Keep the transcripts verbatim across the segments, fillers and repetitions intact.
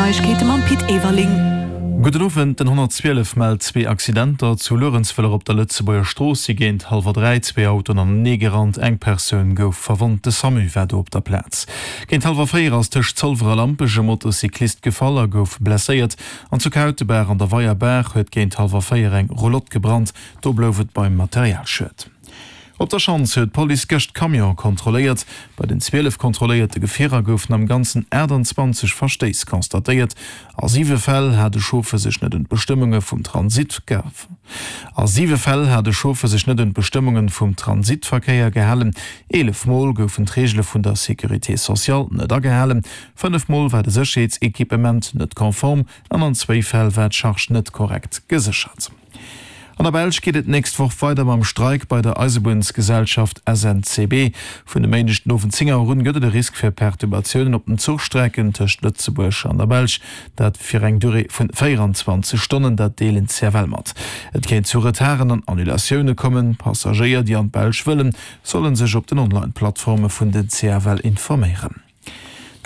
Neiegkeete mam Pit Everling. Gudden Owend, Den honnertzwielef mellt zwee Accidenter. Zu Luerenzwiller op der Lëtzebuerger Strooss si géint hallwer dräi zwee Autoen anenee gerannt. Eng Persoun gouf verwonnt, de Samu war do op der Plaz. Géint hallwer véier ass tëscht Zolwer a Lampech e Motocyclist gefall a gouf blesséiert. An zu Kautebaach an der Weierbaach huet géint hallwer véier eng Roulotte gebrannt. Do blouf et beim Materialschued. Op der Schanz huet d'Police gëscht Camione kontrolléiert. Bei den zwielef kontrolléierte Gefierer goufen am Ganzen aachtanzwanzeg Verstéiss constatéiert. A siwe Fäll hat e Chauffer sech net un d'Bestëmmunge vum Transit A siwe Fäll hat e Chauffer sech net un d'Bestëmmunge vum Transitverkéier gehalen. Eelef Mol goufen d'Reegele vun der Sécurité sociale net agehalen. Fënnef Mol war de Sécherheetsequipement net konform an an zwéi Fäll war d'Charge net korrekt geséchert. An der Belsch geet et d'nächst Woch weider mam Streik bei der Eisebunnsgesellschaft S N C B. Vun e Méindeg den Owend zéng Auer un gëtt et e Risk fir Perturbatiounen op den Zuchstrecken tëscht Lëtzebuerg an der Belsch. Dat fir eng Durée vun véieranzwanzeg Stonnen, dat deelen d'C F L mat. Et kéint zu Retarden an Annulatioune kommen. Passagéier, déi an d'Belsch wëllen, solle sech op den Online-Plattforme vun den C F L informéieren.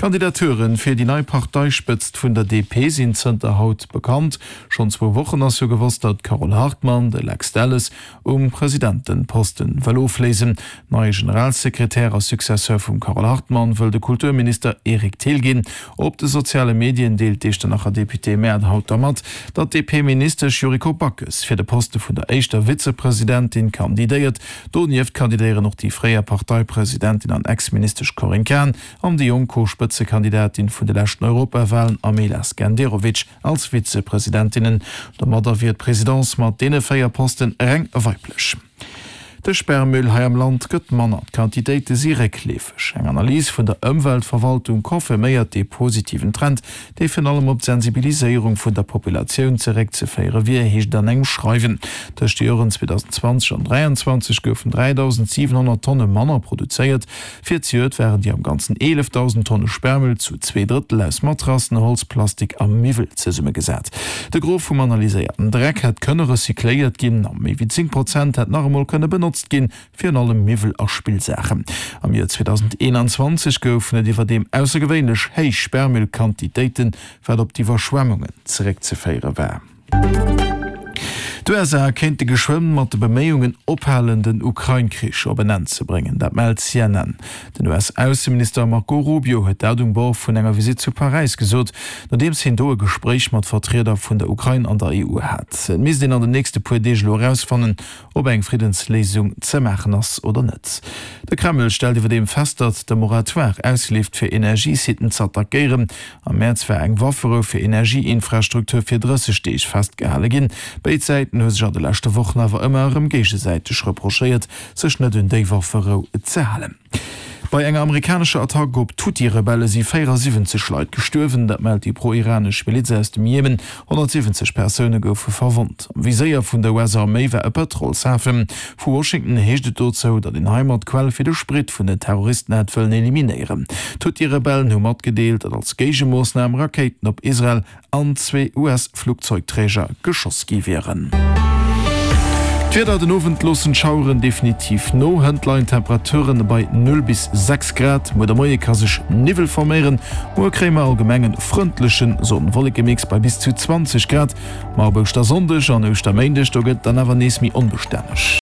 D'Kandidature fir déi nei Parteispëtzt vun der D P sinn zënter haut bekannt. Schonn zwou Wochen ass jo gewosst, datt d'Carole Hartmann de Lex Delles um Presidenteposten wëll ofléisen. Neie Generalsekretär a Successeur vum Carole Hartmann wëll de Kulturminister Eric Thill ginn. Op de soziale Medien deelt d'Iechternacher D P-Maire haut da mat, datt d'D P-Ministesch Yuriko Backes fir de Poste vun der éischter Vizepresidentin kandidéiert. Donieft kandidéieren och déi fréier Parteipresidentin an Ex-Ministesch Corinne Cahen an déi jonk Co-Spëtzekandidatin vun de leschten Europawalen Amela Skenderovic als Vizepresidentinnen. Domadder wier d'Presidence mat deene véier Posten reng weiblech. De Sperrmüll hei am Land gëtt manner, d'Quantitéite si réckleefeg. Eng Analys vun der Ëmweltverwaltung confirméiert dee positiven Trend, dee virun allem op d'Sensibiliséierung vun der Populatioun zeréckzeféiere wier, heescht et an engem Schreiwen. Tëscht de Joren zweedausendenzwanzeg an dräianzwanzeg goufen dräidausendsiwenhonnert Tonne manner produzéiert. Fir zejoert waren déi am Ganzen eelefdausend Tonne Sperrmüll zu zwee Drëttel aus Matrassen, Holz, Plastik a Miwwel zesummegesat. De Gros vum analyséierten Dreck hätt kënne recycléiert ginn a méi wéi zéng Prozent hätt nach emol kënne benotzt ginn, virun allem Miwwel a Spillsaachen. Am Joer zweedausendeenanzwanzeg goufen et iwwerdeem aussergewéinlech héich Sperrmüllquantitéiten, wat op d'Iwwerschwemmungen zeréckzeféiere war. D'U S A kéinte geschwënn mat de Beméiungen ophalen, den Ukrain-Krich op en Enn ze bréngen. Dat mellt C N N. Den U S-Ausseminister Marco Rubio huet dat um Bord vun enger Visitt zu Paräis gesot, nodeems hien do e Gespréich mat Vertrieder vun der Ukrain an der E U hat. Et misst een an den nächste puer Deeg elo erausfannen, ob eng Friddensléisung ze maachen ass oder net. De Kreml stellt iwwerdeem fest, datt de Moratoire ausleeft fir Energiesitten z'attackéieren. Am Mäerz war eng Wafferou fir Energieinfrastruktur fir drësseg Deeg festgehale ginn. Béid Säiten hu sech an de leschte Wochen awer ëmmer erëm géigesäiteg reprochéiert, sech net un déi Wafferou ze halen. Bei enger amerikanescher Attack op d'Huthi-Rebelle si véierasiwwenzeg Leit gestuerwen, dat mellt déi pro-iranesch Miliz aus dem Jemen. Honnertsiwwenzeg Persoune goufe verwonnt. Am Viséier vun der U S-Arméi war e Pëtrolshafen. Vu Washington heescht et dozou, datt een heimat d'Quell fir de Sprit vun den Terroristen hätt wëllen eliminéieren. D'Huthi-Rebellen hu matgedeelt, datt als Géigemoossnam Rakéiten op Israel an zwee U S-Flugzeugträger geschoss gi wieren. D'Wieder, Den Owend loossen d'Schaueren definitiv no, hënt leien d'Temperaturen bei null bis sechs Grad. Muer de Moie ka sech Niwwel forméieren. Muer kréie mer allgemeng en frëndleche Sonn-Wollekemix bei bis zu zwanzeg Grad. Ma op Ouschtersonndeg an Ouschterméindeg, do gëtt et dann awer nees méi onbestänneg.